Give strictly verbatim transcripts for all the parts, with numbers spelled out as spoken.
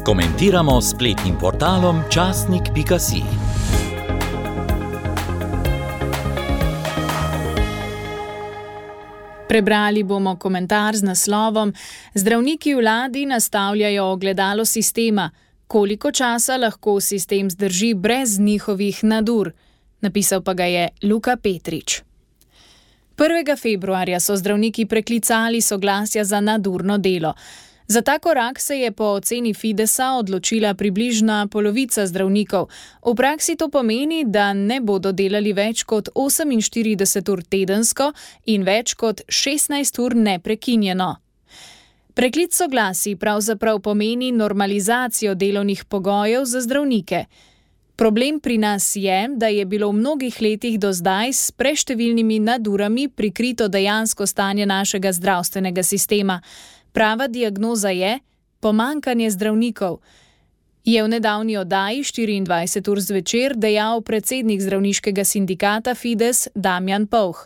Komentiramo s spletnim portalom časnik pika si. Prebrali bomo komentar z naslovom Zdravniki vladi nastavljajo ogledalo sistema. Koliko časa lahko sistem zdrži brez njihovih nadur? Napisal pa ga je Luka Petrič. prvega februarja so zdravniki preklicali soglasja za nadurno delo. Za ta korak se je po oceni Fidesa odločila približna polovica zdravnikov. V praksi to pomeni, da ne bodo delali več kot oseminštirideset ur tedensko in več kot šestnajst ur neprekinjeno. Preklic soglasij pravzaprav pomeni normalizacijo delovnih pogojev za zdravnike. Problem pri nas je, da je bilo v mnogih letih do zdaj s preštevilnimi nadurami prikrito dejansko stanje našega zdravstvenega sistema. Prava diagnoza je pomanjkanje zdravnikov, je v nedavni oddaji štiriindvajset ur zvečer dejal predsednik zdravniškega sindikata Fides Damjan Povh.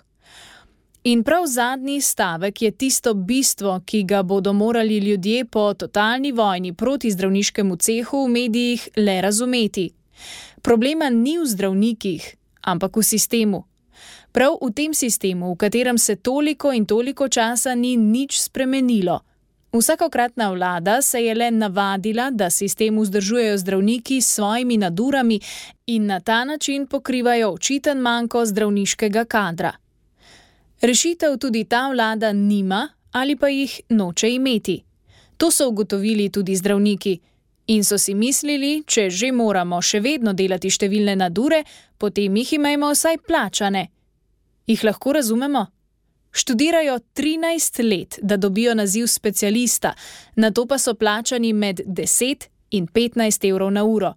In prav zadnji stavek je tisto bistvo, ki ga bodo morali ljudje po totalni vojni proti zdravniškemu cehu v medijih le razumeti. Problema ni v zdravnikih, ampak v sistemu. Prav v tem sistemu, v katerem se toliko in toliko časa ni nič spremenilo. Vsakokratna vlada se je le navadila, da sistem vzdržujejo zdravniki s svojimi nadurami in na ta način pokrivajo očiten manko zdravniškega kadra. Rešitev tudi ta vlada nima ali pa jih noče imeti. To so ugotovili tudi zdravniki in so si mislili, če že moramo še vedno delati številne nadure, potem jih imejmo vsaj plačane. Jih lahko razumemo? Študirajo trinajst let, da dobijo naziv specialista, nato pa so plačani med deset in petnajst evrov na uro.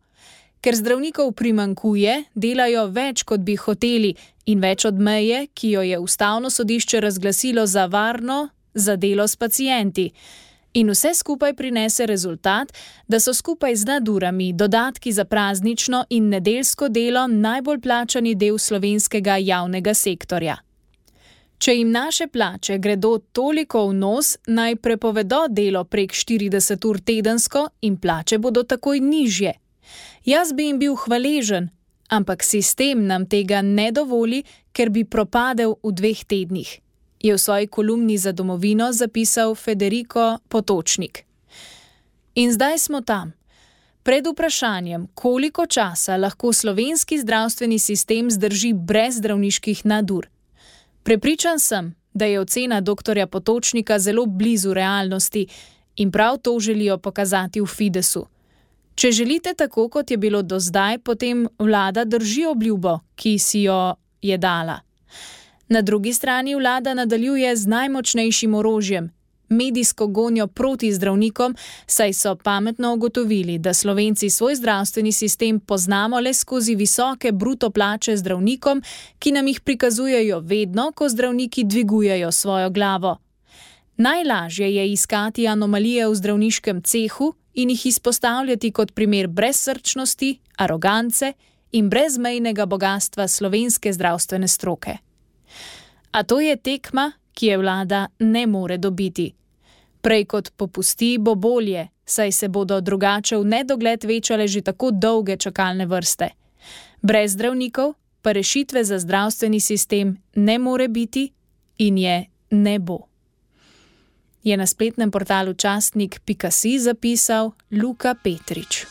Ker zdravnikov primanjkuje, delajo več, kot bi hoteli, in več od meje, ki jo je ustavno sodišče razglasilo za varno za delo s pacienti. In vse skupaj prinese rezultat, da so skupaj z nadurami, dodatki za praznično in nedeljsko delo najbolj plačani del slovenskega javnega sektorja. Če jim naše plače gredo toliko v nos, naj prepovedo delo prek štirideset ur tedensko in plače bodo takoj nižje. Jaz bi jim bil hvaležen, ampak sistem nam tega ne dovoli, ker bi propadel v dveh tednih, je v svoji kolumni za Domovino zapisal Federico Potočnik. In zdaj smo tam. Pred vprašanjem, koliko časa lahko slovenski zdravstveni sistem zdrži brez zdravniških nadur. Prepričan sem, da je ocena doktorja Potočnika zelo blizu realnosti in prav to želijo pokazati v Fidesu. Če želite tako, kot je bilo do zdaj, potem vlada drži obljubo, ki si jo je dala. Na drugi strani vlada nadaljuje z najmočnejšim orožjem, medijsko gonjo proti zdravnikom, saj so pametno ugotovili, da Slovenci svoj zdravstveni sistem poznamo le skozi visoke bruto plače zdravnikom, ki nam jih prikazujejo vedno, ko zdravniki dvigujejo svojo glavo. Najlažje je iskati anomalije v zdravniškem cehu in jih izpostavljati kot primer brezsrčnosti, arogance in brezmejnega bogastva slovenske zdravstvene stroke. A to je tekma, ki je vlada ne more dobiti. Prej kot popusti, bo bolje, saj se bodo drugače v nedogled večale že tako dolge čakalne vrste. Brez zdravnikov pa rešitve za zdravstveni sistem ne more biti in je ne bo. Je na spletnem portalu časnik pika si zapisal Luka Petrič.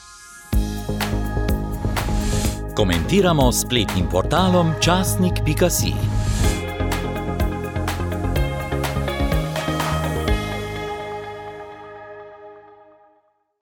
Komentiramo s spletnim portalom časnik pika si.